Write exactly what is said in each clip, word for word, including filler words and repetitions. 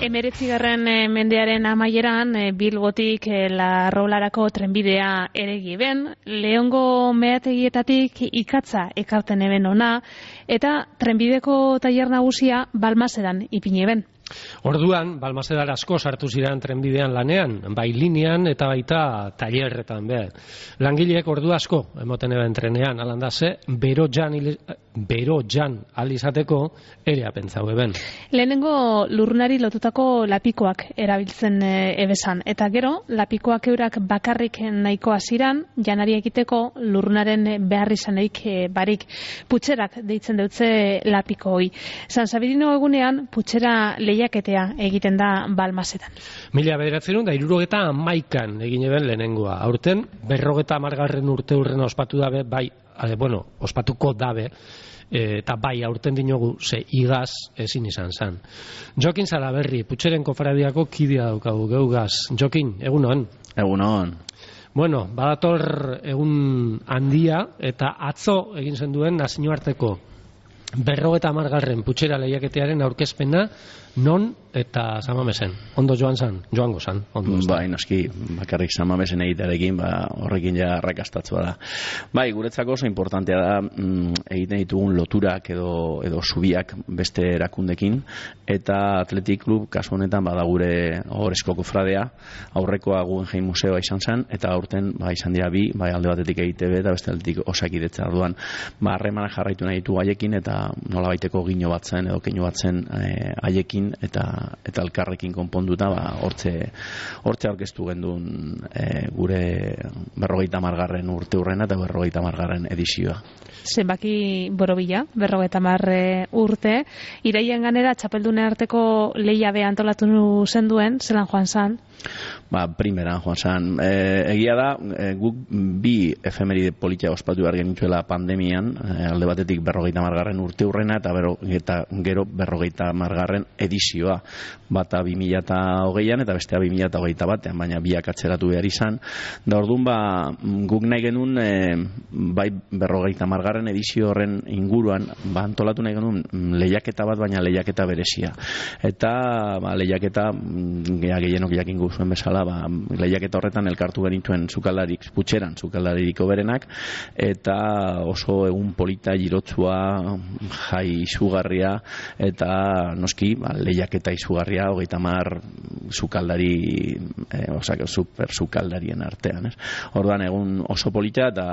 Hemeretzigarren mendearen amaieran Bilbotik Larrolarako trenbidea eregi ben, Leongo meategietatik ikatza ekarten eben ona, eta trenbideko tailer nagusia Balmasedan ipini ben. Orduan, Balmasedar asko sartu ziren trenbidean lanean, bai linean eta baita tailerretan be. Langileek ordu asko emoten eben trenean, alanda ze, bero jan, bero jan alizateko ere apentzau eben. Lehenengo lurrunari lotutako lapikoak erabiltzen ebesan, eta gero, lapikoak eurak bakarrik nahikoa ziran, janari egiteko lurrunaren behar izaneik barik. Putxerak deitzen deutze lapiko hoi. San Sabirino egunean, putxera lehiaketea egiten da Balmasedan. Mila bederatzerun da hirurogeta hamaikan egin eben lehenengoa. Aurten, berrogeta hamargarren urte urren ospatu dabe, bai, eh, bueno, ospatuko dabe, eh, eta bai aurten dinogu ze igaz ezin izan zan. Jokin Salaberri, Putxeren kofradiako kidea daukagu geugaz. Jokin, egunon? Egunon. Bueno, badator egun handia eta atzo egin zen duen nazioarteko berrogeta hamargarren Putxera lehiaketearen aurkezpena non eta Samamesen. Ondo joan zan, joango zan. Bai, noski, bakarrik Samamesen egitearekin, ba, horrekin ja arrakastatzua da. Bai, guretzako oso importantea da mm, egiten ditugun loturak edo, edo zubiak beste erakundekin, eta Athletic Club kasu honetan bada gure Ohorezko kofradea, aurrekoa Guggenheim Museoa izan zen, eta aurten ba, izan dira bi, bai alde batetik E I T B eta beste aldetik Osakidetza. Orduan, ba, harremana jarraitu nahi ditu haiekin, eta nolabaiteko gino bat zen edo keinu bat zen eh, haiekin eta eta elkarrekin konponduta ba hortze hortze aurkeztu gendun e, gure berrogeita hamargarren urte urrena eta berrogeita hamargarren edizioa. Zenbaki borobila, berrogeita hamar urte, iraian ganera txapeldune arteko lehia be antolatu zenduen, zelan joan zan? Ba, primeran joan zan. E, egia da, e, guk bi efemeride politia ospatu behar genituela pandemian, e, alde batetik berrogeita hamargarren urte urrena eta, bero, eta gero berrogeita hamargarren edizioa. Bata bi mila hogeian eta bestea bi mila hogeita batean, baina biak atzeratu behar izan. Da orduan, ba, guk nahi genuen, e, bai berrogeita hamargarren edizio horren inguruan, ba, antolatu nahi genuen lehiaketa bat, baina lehiaketa berezia. Eta ba, lehiaketa, gea gehienok jakin guzuen bezala, ba, lehiaketa horretan elkartu genituen sukaldarik, Putxeran sukaldarik oberenak, eta oso egun polita, girotzua, jai izugarria, eta noski, ba, lehiaketa izugarria, hogeita hamar sukaldari, e, osak, super sukaldarien artean, ez? Orduan egun oso polita, eta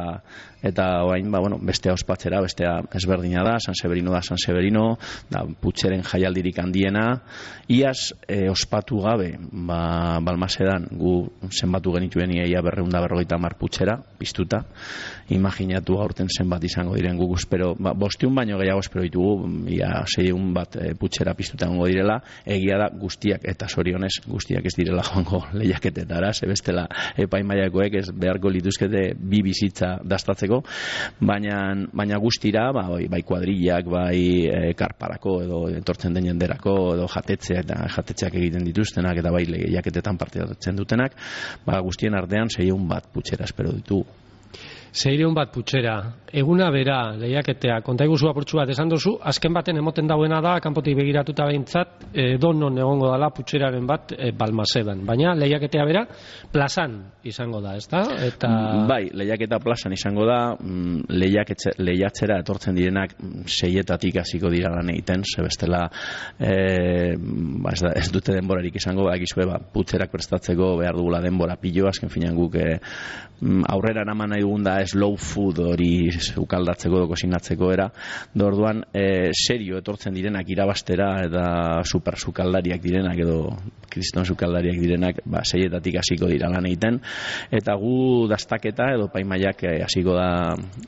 eta orain, ba, bueno, bestea ospatzera, bestea ezberdina da, San Severino da San Severino, da Putxeren jaialdirik handiena, iaz e, ospatu gabe, ba, Balmasedan gu zenbatu genituen ia berrehun eta berrogeita hamar Putxera piztuta. Imaginatu aurten zenbat izango diren guk espero, ba, bosteun baino gehiago espero ditugu, ia seiehun bat e, Putxera piztuta egongo direla, egia da guztiak eta sorionez guztiak ez direla joango lehiaketetara, ze bestela epaimailakoek ez beharko lituzkete bi bizitza dastatzeko, baina baina guztira, ba, bai, bai kuadrillak, bai e, karparako edo etortzen den jenderako edo jatetzeak eta jatetzeak egiten dituztenak eta bai lehiaketetan parte hartzen dutenak, ba, guztien artean seiehun bat Putxera espero ditugu. Seiehun bat Putxera, eguna bera lehiaketea, konta iguzu apurtxu bat esan dozu, azken baten emoten dauena da, kanpotik begiratuta behintzat, edo non egongo dala Putxeraren bat e, Balmasedan, baina lehiaketea bera plazan izango da, ezta? Eta... Bai, lehiaketa plazan izango da, lehiatzera etortzen direnak seietatik hasiko dira lan egiten, ze bestela e, ba, ez, da, ez dute denborarik izango, ba, egizue, ba, Putxerak prestatzeko behar dugula denbora pilo, azken finan guk e, aurrera eraman nahi dugun da slow food hori ukaldatzeko edo kozinatzeko era, da orduan e, serio etortzen direnak irabastera eta super sukaldariak direnak edo kriston sukaldariak direnak, ba, seietatik hasiko dira lan egiten, eta gu dastaketa edo paimaiak hasiko da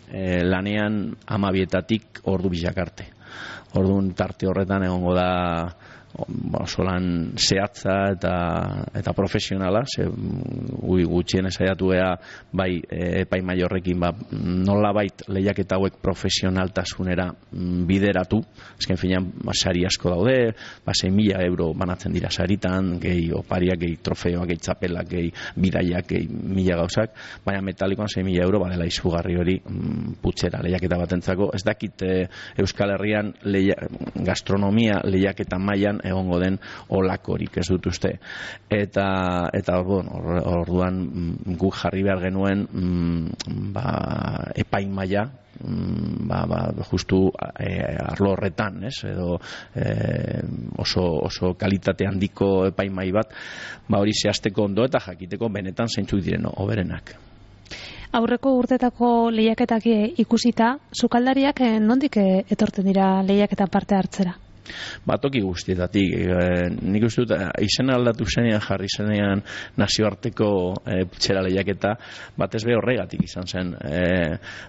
e, lanean hamabietatik ordu bizak arte. Orduan tarte horretan egongo da oso lan zehatza eta, eta profesionala, ze gutxien esaiatu gea bai epaimai horrekin ba, nola bait lehiaketa hauek profesionaltasunera bideratu, ezken finean ba, sari asko daude, ba, sei mila euro banatzen dira saritan, gehi opariak, gehi trofeoak, gehi txapelak, gehi bidaiak, gehi mila gauzak, baina metalikoan sei mila euro badela izugarri hori mm, Putxera lehiaketa batentzako. Ez dakit e, Euskal Herrian leia, gastronomia lehiaketa mailan egongo den olakorik, ez dut uste. Eta, eta bueno, orduan guk jarri behar genuen ba, epaimaia, ba, ba, justu e, arlo horretan, ez? Edo e, oso, oso kalitate handiko epaimai bat, ba, hori zehazteko ondo eta jakiteko benetan zeintzuk diren hoberenak. Aurreko urtetako lehiaketak ikusita, sukaldariak nondik etortzen dira lehiaketan parte hartzera? Ba, toki guztietatik. E, nik uste dut, izena aldatu zenean, jarri zenean nazioarteko e, putxera lehiaketa, batez be horregatik izan zen. E,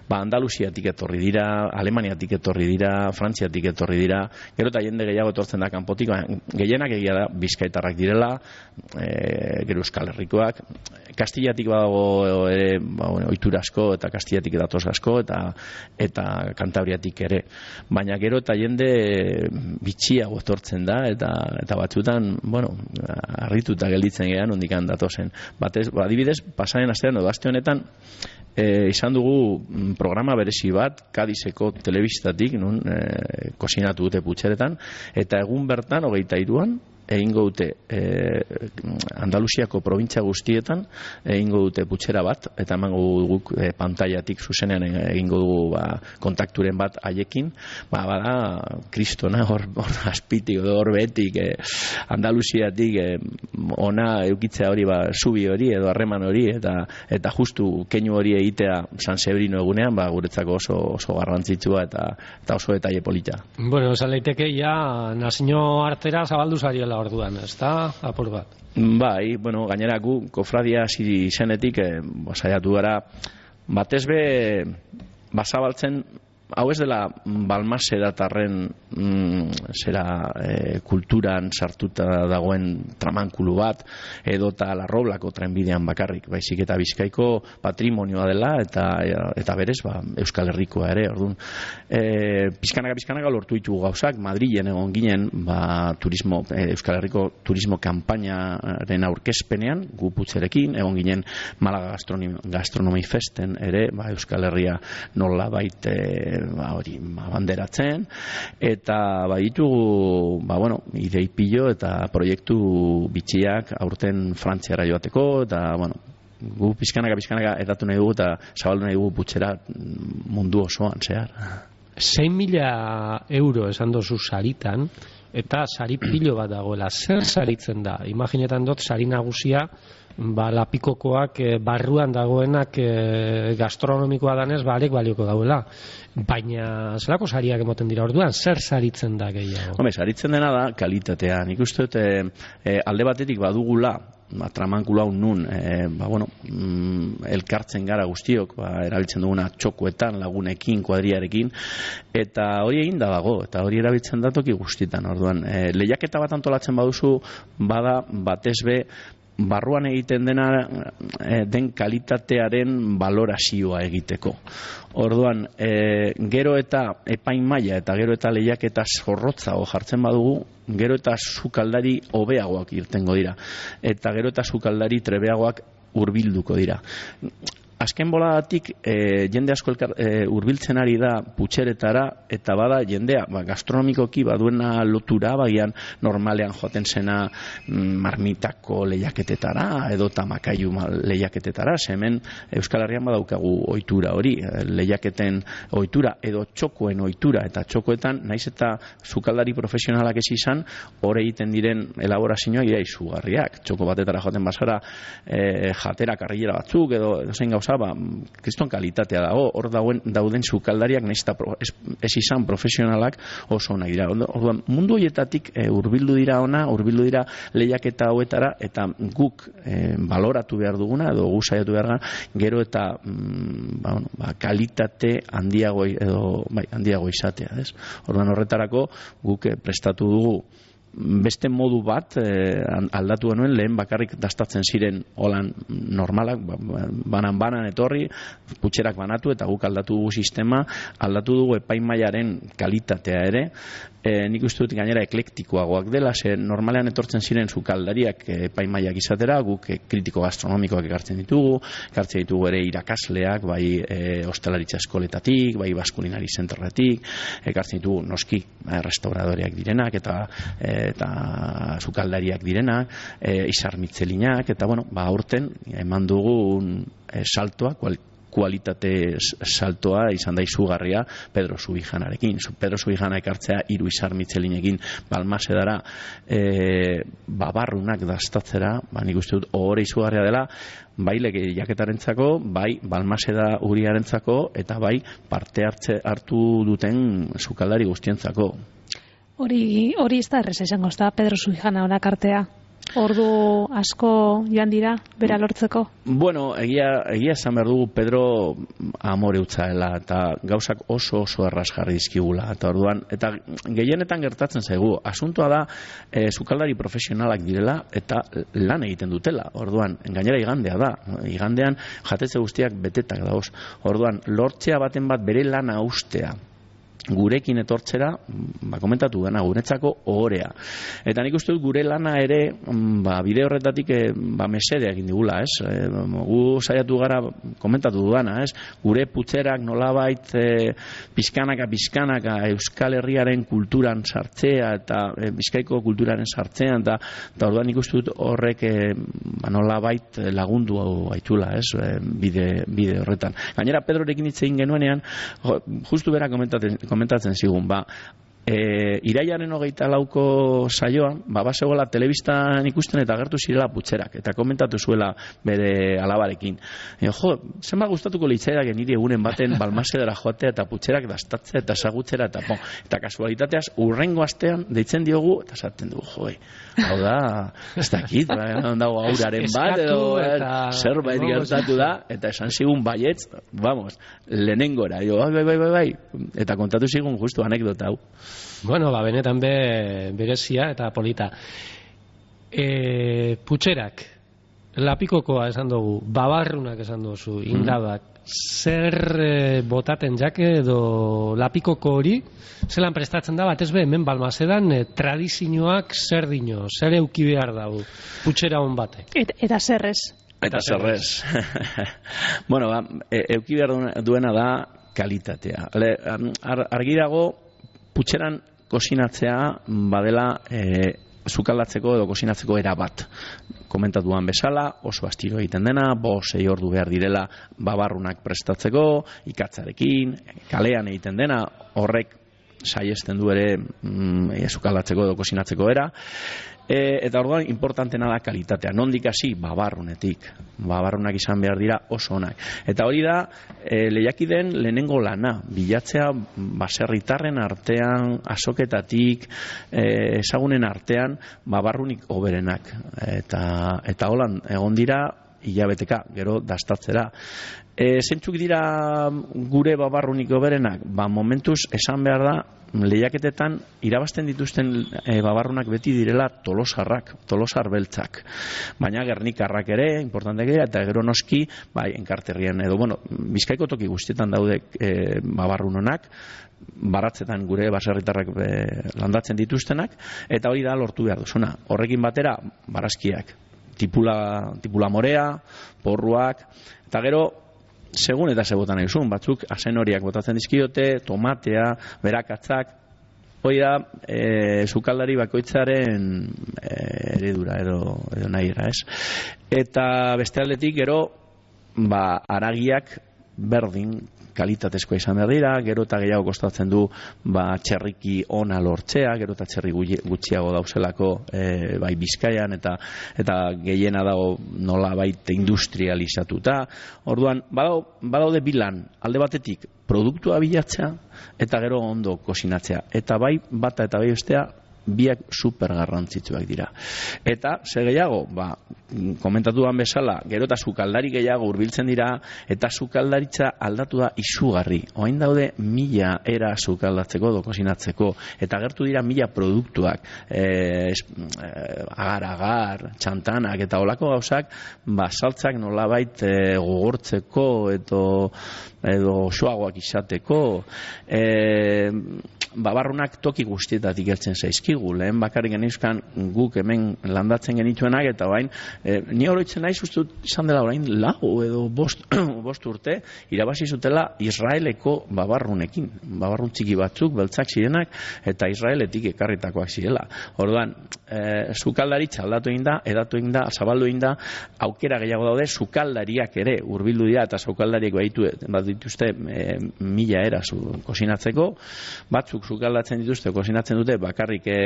ba, Andaluziatik etorri dira, Alemaniatik etorri dira, Frantziatik etorri dira, gero eta jende gehiago etortzen da kanpotik, ba, gehienak egia da bizkaitarrak direla, e, gero Euskal Herrikoak, Kastillatik badago ere, ba, bueno, ohitura asko, eta Kastillatik datoz asko, eta, eta Kantabriatik ere. Baina gero eta jende bitxiago etortzen da, eta eta batzutan, bueno, harrituta gelditzen gean ondikan datozen. Batez, adibidez, pasaren astean edo aste honetan e, izan dugu programa berezi bat Kadizeko telebistatik, nun e, kozinatu dute putxeretan, eta egun bertan hogeita hiruan egingo dute e, Andaluziako probintzia guztietan egingo dute putxera bat, eta emango guk e, pantailatik zuzenean egingo dugu ba, kontakturen bat haiekin, ba, bada kristona hor, hor azpitik, hor behetik e, Andaluziatik e, ona eukitzea hori, ba, zubi hori edo harreman hori, eta eta justu keinu hori egitea San Severino egunean, ba, guretzako oso, oso garrantzitsua eta, eta oso detaile polita. Bueno, esan leiteke ja nazio artera zabaldu zariola orduan, ez da, apur bat? Bai, bueno, gainera gu, kofradia ziri izenetik, eh, saiatu gara, batez be, bazabaltzen, hau ez dela Balmaseratarren mm, zera e, kulturan sartuta dagoen tramankulu bat, edota Larroblako trenbidean bakarrik, baizik eta Bizkaiko patrimonioa dela, eta eta berez, ba, Euskal Herrikoa ere, orduan. E, pizkanaka, pizkanaka lortu ditugu gauzak, Madrilen egon ginen, ba, turismo, e, Euskal Herriko turismo kanpainaren aurkezpenean, gu putzerekin, egon ginen Malaga Gastronomi, Gastronomi Festen ere, ba, Euskal Herria nola baite ba, hori ba, banderatzen, eta baditugu ba, bueno, idei pilo eta proiektu bitxiak aurten Frantziara joateko, eta bueno, gu pizkanaka pizkanaka edatu nahi dugu eta zabaldu nahi dugu putxera mundu osoan zehar. sei mila euro esan dozu saritan, eta sari pilo bat dagoela. Zer saritzen da? Imaginetan dut sari nagusia, ba, lapikokoak e, barruan dagoenak e, gastronomikoa danez, ba, arek balioko dauela. Baina, zelako sariak emoten dira orduan? Zer saritzen da gehiago? Hombre, saritzen dena da kalitatea. Nik uste dut e, e, alde batetik badugula, ba, tramankula hau nun, e, ba, bueno, mm, elkartzen gara guztiok, ba, erabiltzen duguna txokoetan, lagunekin, kuadriarekin, eta hori egin da dago, eta hori erabiltzen da toki guztietan, orduan. E, lehiaketa bat antolatzen baduzu, bada batez be, barruan egiten dena e, den kalitatearen valorazioa egiteko. Orduan, e, gero eta epaimaila eta gero eta lehiaketa zorrotzago jartzen badugu, gero eta sukaldari hobeagoak irtengo dira. Eta gero eta sukaldari trebeagoak hurbilduko dira. Azken boladatik e, jende asko elkar, e, urbiltzen ari da putxeretara, eta bada jendea ba, gastronomikoki baduena lotura, bagian normalean joaten zena mm, marmitako lehiaketetara edo tamakaiu lehiaketetara, hemen Euskal Herrian badaukagu ohitura hori, lehiaketen ohitura edo txokoen ohitura, eta txokoetan naiz eta sukaldari profesionalak ez izan, hor egiten diren elaborazioak dira izugarriak. Txoko batetara joaten bazara e, jatera karrilera batzuk edo zein gauza, ba, kriston kalitatea dago, hor dauen, dauden sukaldariak naiz eta ez, ez izan profesionalak oso onak dira. Orduan, mundu horietatik e, hurbildu dira ona, hurbildu dira lehiaketa hauetara, eta guk e, baloratu behar duguna, edo gu saiatu behar gara, gero eta mm, ba, bueno, ba, kalitate handiago edo bai, handiago izatea, ez? Orduan horretarako guk e, prestatu dugu beste modu bat eh, aldatu genuen, lehen bakarrik dastatzen ziren holan normalak, banan-banan etorri, putxerak banatu, eta guk aldatu dugu sistema, aldatu dugu epaimaiaren kalitatea ere, e, nik uste dut gainera eklektikoagoak dela, ze normalean etortzen ziren sukaldariak epaimaiak izatera, guk e, kritiko gastronomikoak ekartzen ditugu, ekartzen ditugu ere irakasleak, bai e, hostelaritza eskoletatik, bai baskulinari zentraratik, ekartzen ditugu noski e, restauradoreak direnak, eta e, eta sukaldariak direnak, e, izar mitzelinak, eta bueno, ba, aurten eman dugun e, saltoa, kual, kualitate saltoa izan da izugarria Pedro Subijanarekin. Pedro Subijana ekartzea hiru izar mitzelinekin Balmasedara e, babarrunak dastatzera, ba, nik uste dut ohore izugarria dela, bai lehiaketarentzako, bai Balmaseda Uriarentzako, eta bai parte hartze hartu duten sukaldari guztientzako. Hori, hori ez da errez esango, ez da Pedro Subijana onak artea. Ordu asko joan dira, bera lortzeko? Bueno, egia, egia esan behar dugu Pedro amore utzaela, eta gauzak oso oso erraz jarri dizkigula. Eta orduan, eta gehienetan gertatzen zaigu, asuntoa da e, sukaldari profesionalak direla eta lan egiten dutela. Orduan, gainera igandea da. Igandean jatetze guztiak betetak dauz. Orduan, lortzea baten bat bere lana ustea gurekin etortzera, ba, komentatu dena, guretzako ohorea. Eta nik uste dut gure lana ere, ba, bide horretatik e, ba, mesedea egin digula, ez? E, gu saiatu gara, komentatu dudana, ez? Gure putzerak nolabait e, pizkanaka, pizkanaka Euskal Herriaren kulturan sartzea, eta e, Bizkaiko kulturaren sartzean, eta, eta orduan nik uste dut horrek e, ba, nolabait lagundu hau aitula, ez? E, bide, bide horretan. Gainera, Pedrorekin hitz egin genuenean, justu bera komentatzen komentatzen zigun, ba, e, iraiaren hogeita lauko saioan, ba, basegoela telebistan ikusten eta agertu zirela putzerak, eta komentatu zuela bere alabarekin. E, jo, zenba gustatuko litzaidak niri egunen baten Balmasedara joatea eta putzerak dastatzea eta sagutzera, eta, bon, eta kasualitateaz urrengo astean deitzen diogu, eta esaten dugu, joi, hau da, ez dakit, dago auraren bat, edo zerbait gertatu da, eta esan zigun baietz, vamos, lehenengora, jo, bai, bai, bai, bai, eta kontatu zigun justu anekdota hau. Bueno, ba, benetan be, berezia eta polita. E, putxerak, lapikokoa esan dugu, babarrunak esan dugu, indabak, zer e, botaten jake edo lapikoko hori, zelan prestatzen da, batez be, hemen Balmasedan e, tradizioak zer dino, zer euki behar dago, putxera hon batek. Et, eta zerrez? Eta zerrez. Bueno, ba, e, euki behar duena da kalitatea. Le, ar, argi dago, putxeran kosinatzea badela e, sukaldatzeko edo kosinatzeko era bat. Komentatuan bezala, oso astiro egiten dena, bo sei ordu behar direla babarrunak prestatzeko, ikatzarekin, kalean egiten dena, horrek saiesten du ere mm, e, sukaldatzeko edo kosinatzeko era. E, eta orduan importantena da kalitatea. Nondik hasi? Babarrunetik. Babarrunak izan behar dira oso onak. Eta hori da e, lehiakideen lehenengo lana. Bilatzea baserritarren artean, azoketatik, e, ezagunen artean, babarrunik hoberenak. Eta, eta holan egon dira hilabeteka, gero dastatzera. E, zentzuk dira gure babarrunik hoberenak? Ba, momentuz esan behar da, lehiaketetan irabazten dituzten e, babarrunak beti direla tolosarrak, tolosar beltzak. Baina gernikarrak ere, importanteak dira, eta gero noski, bai, enkarterrien, edo, bueno, Bizkaiko toki guztietan daude e, babarrun honak, baratzetan gure baserritarrak e, landatzen dituztenak, eta hori da lortu behar duzuna. Horrekin batera, barazkiak, tipula, tipula morea, porruak, eta gero, segun eta zebotan egin, batzuk asen horiak botatzen dizkiote, tomatea, berakatzak, hori da, e, sukaldari bakoitzaren e, eredura edo, edo nahiera, ez? Eta beste aldetik, gero, ba, haragiak berdin, kalitatezkoa izan behar dira, gero eta gehiago kostatzen du ba, txerriki ona lortzea, gero eta txerri gutxiago dauzelako e, bai Bizkaian, eta eta gehiena dago nola baita industrializatuta. Orduan, badau, badaude bilan, alde batetik produktua bilatzea, eta gero ondo kosinatzea. Eta bai bata eta bai bestea, biak super garrantzitsuak dira. Eta, ze gehiago, ba, komentatuan bezala, gero eta sukaldari gehiago hurbiltzen dira, eta sukaldaritza aldatu da izugarri. Oain daude mila era sukaldatzeko, dokosinatzeko, eta gertu dira mila produktuak, e, agar-agar, txantanak, eta olako gauzak, ba, saltzak nolabait e, gogortzeko, edo, edo soagoak izateko, e, babarrunak toki guztietatik heltzen zaizkigu. Lehen bakarrik genizkan guk hemen landatzen genituenak, eta orain, e, ni oroitzen naiz uste dut izan dela orain lau edo bost, bost urte, irabazi zutela Israeleko babarrunekin. Babarrun txiki batzuk, beltzak zirenak, eta Israeletik ekarritakoak zirela. Orduan, e, sukaldaritza aldatu egin da, edatu egin da, zabaldu egin da, aukera gehiago daude, sukaldariak ere hurbildu dira, eta sukaldariak baditu, bat dituzte e, mila era zu, kosinatzeko, batzuk sukaldatzen dituzte, kosinatzen dute bakarrik e,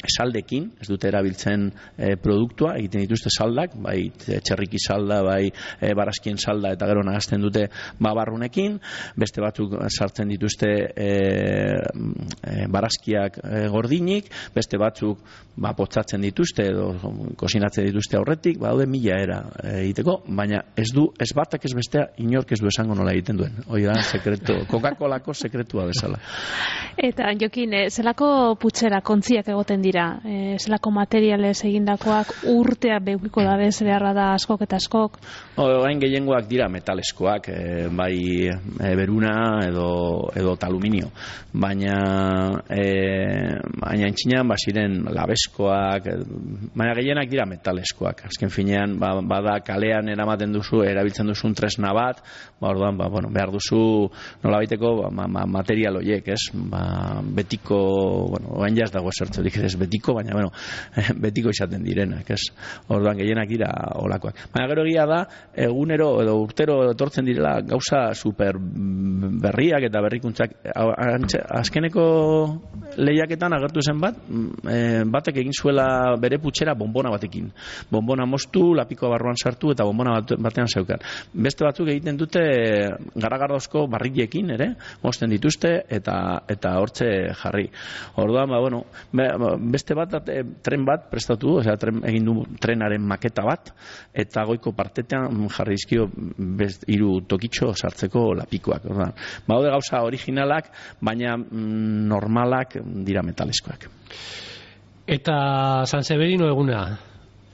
saldekin, ez dute erabiltzen e, produktua, egiten dituzte saldak, bai txerriki salda, bai e, barazkien salda, eta gero nagazten dute babarrunekin, beste batzuk sartzen dituzte e, e, barazkiak e, gordinik, beste batzuk ba, potzatzen dituzte, edo kosinatzen dituzte aurretik, badaude mila era e, egiteko, baina ez du, ez batak ez bestea, inork ez du esango nola egiten duen. Hoi da, sekretu, Coca-Colako sekretua bezala. Eta, Jokin, e, zelako putxera, kontziak egoten dira, e, zelako materialez egindakoak urtea beukiko dabez behar da askok eta askok? Orain gehiengoak dira metaleskoak, e, bai e, beruna edo, edo aluminio, baina e, baina entxinan basiren labeskoak, e, baina gehienak dira metaleskoak. Azken finean, ba, bada kalean eramaten duzu, erabiltzen duzun tresna bat, ba, orduan, ba, bueno, behar duzu nolabaiteko ba, ma, material horiek, ez? Ba, betiko, bueno, orain jaz dago esertzerik ez betiko, baina, bueno, betiko izaten direnak, ez? Orduan gehienak dira olakoak. Baina gero egia da, egunero edo urtero etortzen direla gauza super berriak eta berrikuntzak. Azkeneko lehiaketan agertu zen bat, batek egin zuela bere putxera bonbona batekin. Bonbona moztu, lapiko barruan sartu eta bonbona batean zeukan. Beste batzuk egiten dute garagardozko barrillekin ere, mozten dituzte eta eta hortze jarri. Orduan, ba, bueno, beste bat, tren bat prestatu, osea, tren, egin du trenaren maketa bat, eta goiko partetean jarri dizkio hiru tokitxo sartzeko lapikoak. Orduan, badaude gauza originalak, baina mm, normalak dira metaleskoak. Eta San Severino eguna,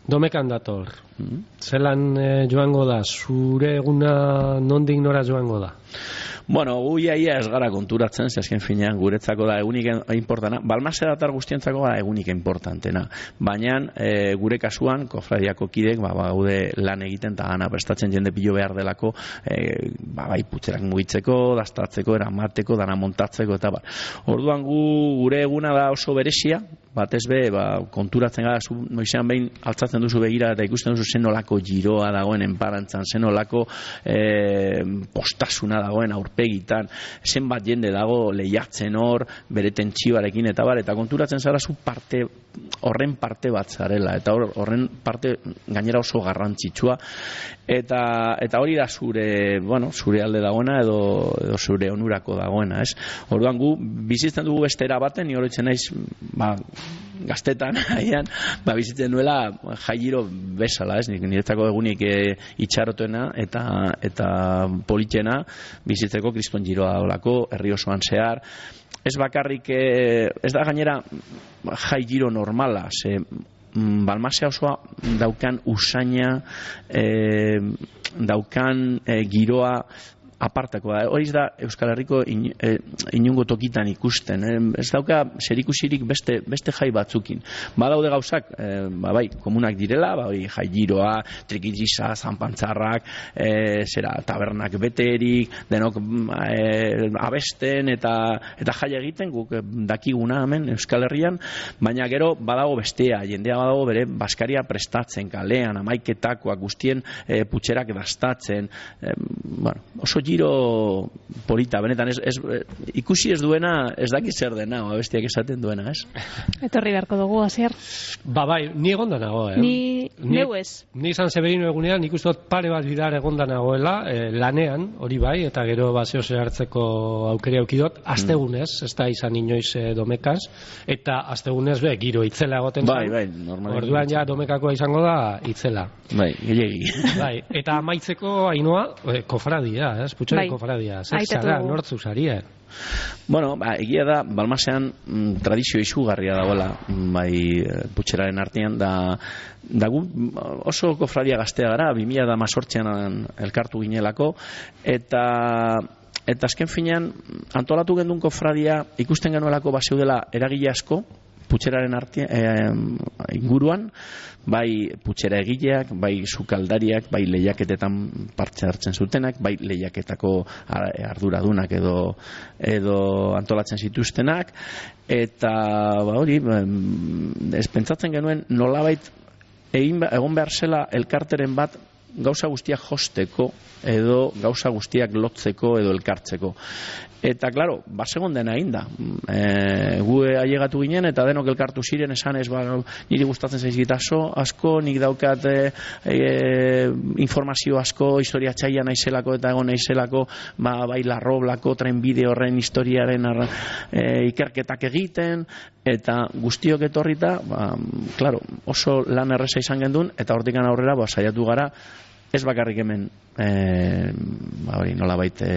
domekan dator. Mm-hmm. Zelan eh, joango da, zure eguna nondik nora joango da? Bueno, gu iaia ez gara konturatzen, ze azken finean guretzako da egunik importantena, Balmase datar guztientzako gara egunik importantena, baina e, gure kasuan, kofradiako kidek, ba, gaude lan egiten eta gana prestatzen jende pilo behar delako, e, ba, bai putzerak mugitzeko, dastatzeko, eramateko, dana montatzeko, eta ba. Orduan gu gure eguna da oso beresia, batez be, ba, konturatzen gara, zu, noizean behin altzatzen duzu begira eta ikusten duzu zenolako giroa dagoen enparantzan, zenolako e, postasuna dagoen aurpegitan, zenbat jende dago lehiatzen hor, bere tentsioarekin eta bar, eta konturatzen zara zu parte, horren parte bat zarela, eta horren parte gainera oso garrantzitsua, eta, eta hori da zure, bueno, zure alde dagoena edo, edo zure onurako dagoena, ez? Orduan gu bizitzen dugu bestera baten, ni horitzen naiz, ba, gaztetan, haian, ba, bizitzen duela jaigiro bezala, ez? Niretzako egunik e, itxarotuena eta, eta politxena bizitzeko kriston giroa olako, herri osoan zehar. Ez bakarrik, e, ez da gainera jai giro normala, ze Balmasea osoa daukan usaina, e, daukan e, giroa apartakoa. Horiz da Euskal Herriko in, e, inungo tokitan ikusten. E, ez dauka zerikusirik beste, beste jai batzukin. Badaude gauzak, e, ba, bai, komunak direla, ba, hori jai giroa, trikitisa, zanpantzarrak, e, zera, tabernak beterik, denok e, abesten eta, eta jai egiten, guk dakiguna hemen Euskal Herrian, baina gero badago bestea, jendea badago bere baskaria prestatzen, kalean, amaiketakoak guztien e, putxerak dastatzen, e, bueno, oso giro polita, benetan, ez, ez, ikusi ez duena, ez daki zer dena, o bestiak esaten duena, ez? Etorri beharko dugu, Asier. Ba, bai, ni egonda nago, eh? Ni, ni neu ez. Ni San Severino egunean, nik uste dut pare bat bidar egonda nagoela, eh, lanean, hori bai, eta gero baseo hartzeko aukeri aukidot, astegunez, ez da izan inoiz eh, domekaz, eta astegunez, be, giro itzela egoten bai, bai, normalmente. Orduan ja domekakoa izango da itzela. Bai, gehiagi. Bai, eta amaitzeko Ainoa, eh, kofradia, ez? Putxoen bai. Kofradia, zer zara, nortzu zaria? Bueno, ba, egia da, Balmasean mm, tradizio izugarria dagoela, bai, putxeraren artean, da, da gu oso kofradia gaztea gara, bi mila hamazortzian elkartu ginelako, eta eta azken finean antolatu gendun kofradia ikusten genuelako baseudela eragile asko putxeraren artean, e, inguruan, bai putxera egileak, bai sukaldariak, bai lehiaketetan parte hartzen zutenak, bai lehiaketako arduradunak edo edo antolatzen zituztenak, eta ba hori, ez pentsatzen genuen nolabait egin egon behar zela elkarteren bat gauza guztiak josteko edo gauza guztiak lotzeko edo elkartzeko. Eta, klaro, basegon dena egin da. E, gu ailegatu ginen eta denok elkartu ziren esan ez, ba, niri gustatzen zaizkit asko, nik daukat e, e, informazio asko, historia txaila naizelako eta egon naizelako, ba, bai larroblako, trenbide horren historiaren arra, e, ikerketak egiten, eta guztiok etorrita, ba, klaro, oso lan erreza izan gendun, eta hortikan aurrera, ba, saiatu gara, ez bakarrik hemen e, ba, hori, nolabait e,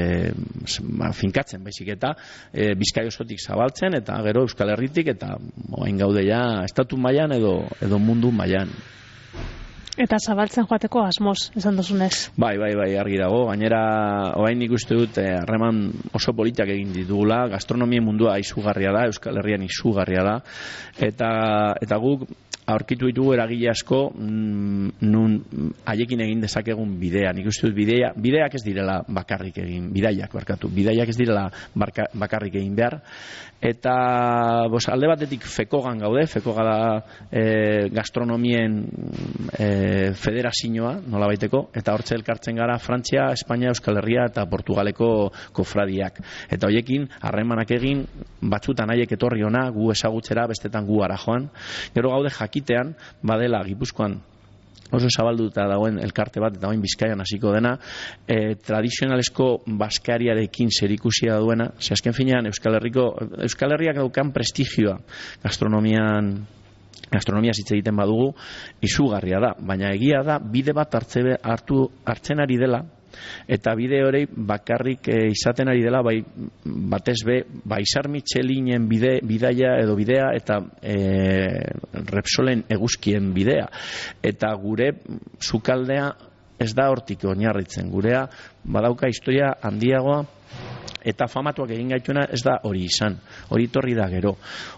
ba, finkatzen baizik eta e, Bizkai osotik zabaltzen eta gero Euskal Herritik eta orain gaude ja estatu mailan edo edo mundu mailan. Eta zabaltzen joateko asmoz, esan duzunez. Bai, bai, bai, argi dago. Gainera, orain nik uste dut harreman oso politak egin ditugula, gastronomia mundua izugarria da, Euskal Herrian izugarria da, eta eta guk aurkitu ditugu eragile asko nun haiekin egin dezakegun bidea. Nik uste dut bidea, bideak ez direla bakarrik egin, bidaiak barkatu, bidaiak ez direla barka, bakarrik egin behar. Eta bos, alde batetik fekogan gaude, fekoga da e, gastronomien e, federazioa, nola baiteko, eta hortze elkartzen gara Frantzia, Espainia, Euskal Herria eta Portugaleko kofradiak. Eta hoiekin harremanak egin, batzutan haiek etorri ona, gu ezagutzera, bestetan gu ara joan. Gero gaude jakitean, badela Gipuzkoan oso zabalduta dagoen elkarte bat, eta oin Bizkaian hasiko dena, e, tradizionalesko baskariarekin zerikusia duena, ze azken finean Euskal Herriko, Euskal Herriak daukan prestigioa gastronomian, gastronomia hitz egiten badugu, izugarria da, baina egia da, bide bat hartze, hartu, hartzen ari dela, eta bide hori bakarrik e, izaten ari dela bai, batez be bai Izar Michelinen bide, bidaia edo bidea eta e, Repsolen eguzkien bidea eta gure sukaldea ez da hortik oinarritzen, gurea badauka historia handiagoa eta famatuak egin gaituena ez da hori izan, hori torri da gero.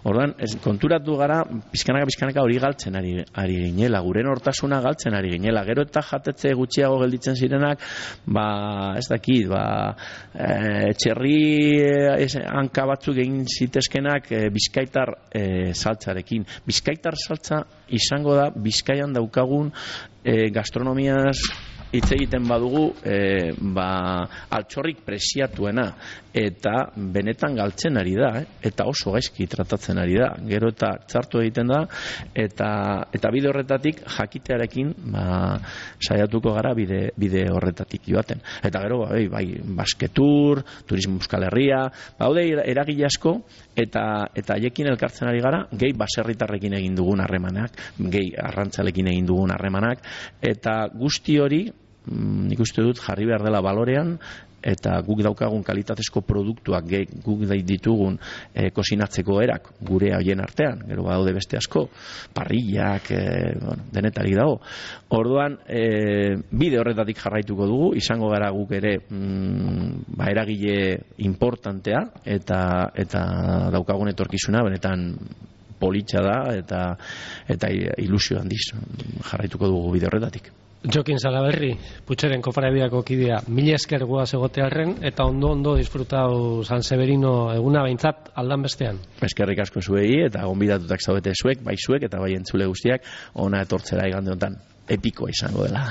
Orduan, ez, konturatu gara, pizkanaka pizkanaka hori galtzen ari, ari ginela, guren hortasuna galtzen ari ginela, gero eta jatetze gutxiago gelditzen zirenak, ba, ez dakit, ba, e, txerri e, hanka batzuk egin zitezkenak e, bizkaitar e, saltzarekin. Bizkaitar saltza izango da, Bizkaian daukagun e, gastronomiaz hitz egiten badugu e, ba, altxorrik preziatuena eta benetan galtzen ari da, eh? Eta oso gaizki tratatzen ari da, gero eta txartu egiten da eta, eta bide horretatik jakitearekin ba, saiatuko gara bide, bide horretatik joaten. Eta gero bai, bai basketur, turismo Euskal Herria, baude eragile asko eta eta haiekin elkartzen ari gara, gehi baserritarrekin egin dugun harremanak, gehi arrantzalekin egin dugun harremanak, eta guzti hori nik uste dut jarri behar dela balorean eta guk daukagun kalitatezko produktuak guk ditugun e, kosinatzeko erak gure haien artean, gero badaude beste asko, parrillak, e, bueno, denetarik dago. Orduan, e, bide horretatik jarraituko dugu, izango gara guk ere mm, ba, eragile importantea eta, eta daukagun etorkizuna, benetan politxa da eta, eta ilusio handiz jarraituko dugu bide horretatik. Jokin Salaberri, Putxeren kofradiako kidea, mila esker guaz egotearren eta ondo ondo disfrutau San Severino eguna behintzat aldan bestean. Eskerrik asko zuei eta gonbidatutak zaudete zuek, bai zuek eta bai entzule guztiak, ona etortzera igande honetan epikoa izango dela.